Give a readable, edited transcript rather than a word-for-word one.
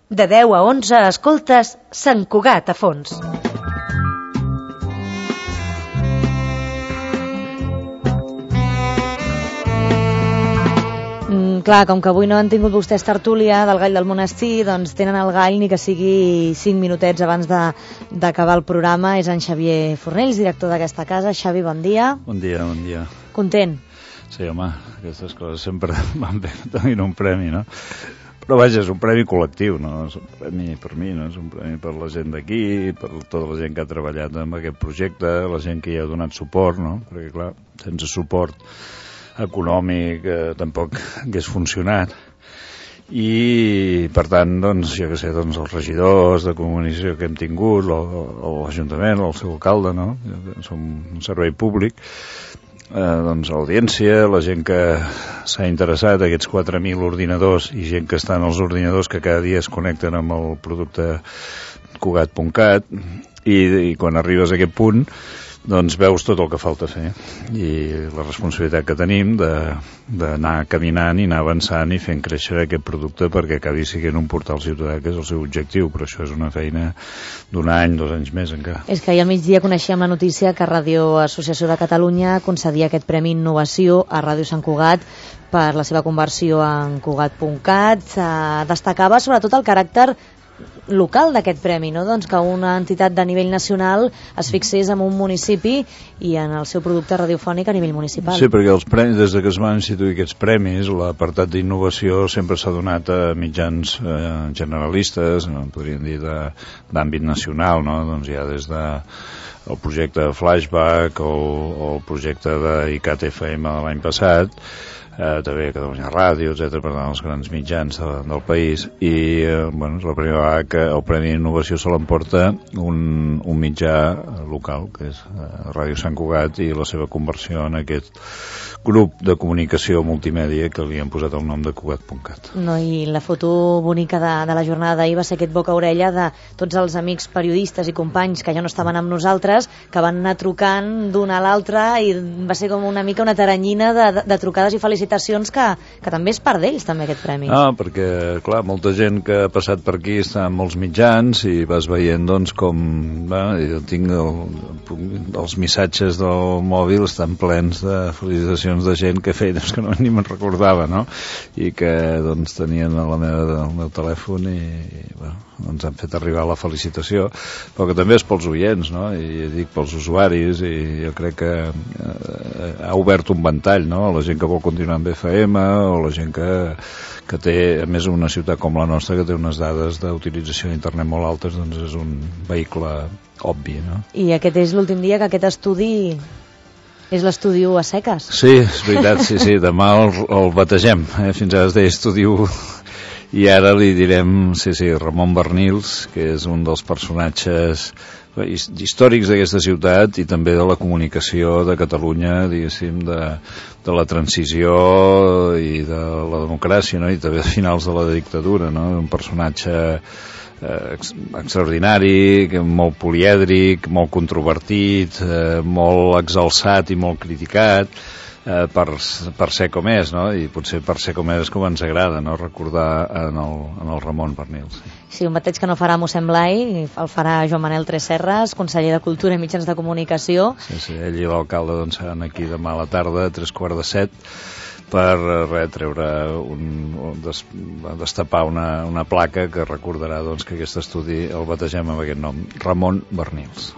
De 10 a 11 escoltes Sant Cugat a fons. Clar, com que avui no han tingut vostès tertúlia del Gall del Monestir, doncs tenen el gall ni que sigui 5 minutets abans d'acabar el programa. És en Xavier Fornells, director d'aquesta casa. Xavi, bon dia. Bon dia, bon dia. Content? Sí, home, aquestes coses sempre van bé tenint un premi, no? Però vaja, és un premi col·lectiu, no? És un premi per mi, no? És un premi per la gent d'aquí, per tota la gent que ha treballat en aquest projecte, la gent que hi ha donat suport, no? Perquè, clar, sense suport econòmic tampoc hagués funcionat. I per tant, doncs, jo què sé, doncs els regidors de comunicació que hem tingut, l'Ajuntament, el seu alcalde, no? Som un servei públic, doncs l'audiència, la gent que s'ha interessat, aquests 4.000 ordinadors i gent que està en els ordinadors que cada dia es connecten amb el producte Cugat.cat, i quan arribes a aquest punt doncs veus tot el que falta fer i la responsabilitat que tenim d'anar caminant i anar avançant i fent créixer aquest producte perquè acabi sent un portal ciutadà, que és el seu objectiu, però això és una feina d'un any, 2 anys més encara. És que ahir al migdia coneixíem la notícia que Ràdio Associació de Catalunya concedia aquest Premi Innovació a Ràdio Sant Cugat per la seva conversió en Cugat.cat. Destacava sobretot el caràcter local d'aquest premi, no? Doncs que una entitat de nivell nacional es fixés en un municipi i en el seu producte radiofònic a nivell municipal. Sí, perquè els premis, des que es van instituir aquests premis, l'apartat d'innovació sempre s'ha donat a mitjans generalistes, podríem dir d'àmbit nacional, no? Doncs ja des de el projecte Flashback o el projecte d'ICAT FM de l'any passat, també Catalunya Ràdio, etc., per tant, els grans mitjans del país, i bueno, és la primera vegada que el Premi d'Innovació se l'emporta un mitjà local, que és Ràdio Sant Cugat, i la seva conversió en aquest grup de comunicació multimèdia que li han posat el nom de Cugat.cat. No, i la foto bonica de la jornada d'ahir va ser aquest boca-orella de tots els amics periodistes i companys que ja no estaven amb nosaltres, que van anar trucant d'una a l'altra, i va ser com una mica una taranyina de trucades i felicitacions que també és part d'ells, també, aquest premi. Perquè, clar, molta gent que ha passat per aquí està en molts mitjans i vas veient, doncs, com jo tinc els missatges del mòbil estan plens de felicitacions de gent que feia que ni me'n recordava, no? I que, doncs, tenien el meu telèfon i bueno, ens han fet arribar la felicitació, però que també és pels oients, no? I dic pels usuaris, i jo crec que ha obert un ventall, no? La gent que vol continuar amb FM, o la gent que té, a més, una ciutat com la nostra, que té unes dades d'utilització d'internet molt altes, doncs és un vehicle obvi, no? I aquest és l'últim dia que aquest estudi és l'estudi a seques. Sí, és veritat, sí, demà el bategem, fins ara es deia estudi i ara li direm, Ramon Bernils, que és un dels personatges històrics d'aquesta ciutat i també de la comunicació de Catalunya, diguéssim, de la transició i de la democràcia, no? I també a finals de la dictadura, no? Un personatge extraordinari, molt polièdric, molt controvertit, molt exalçat i molt criticat, per ser com és, no? I potser per ser com és com ens agrada, no? Recordar en el Ramon Bernils. Sí, un bateig que no farà mossèn Blai, el farà Joan Manel Tresserras, conseller de Cultura i Mitjans de Comunicació. Sí, ell i l'alcalde doncs seran aquí demà a la tarda, a 6:45, per treure destapar una placa que recordarà, doncs, que aquest estudi el bategem amb aquest nom, Ramon Bernils.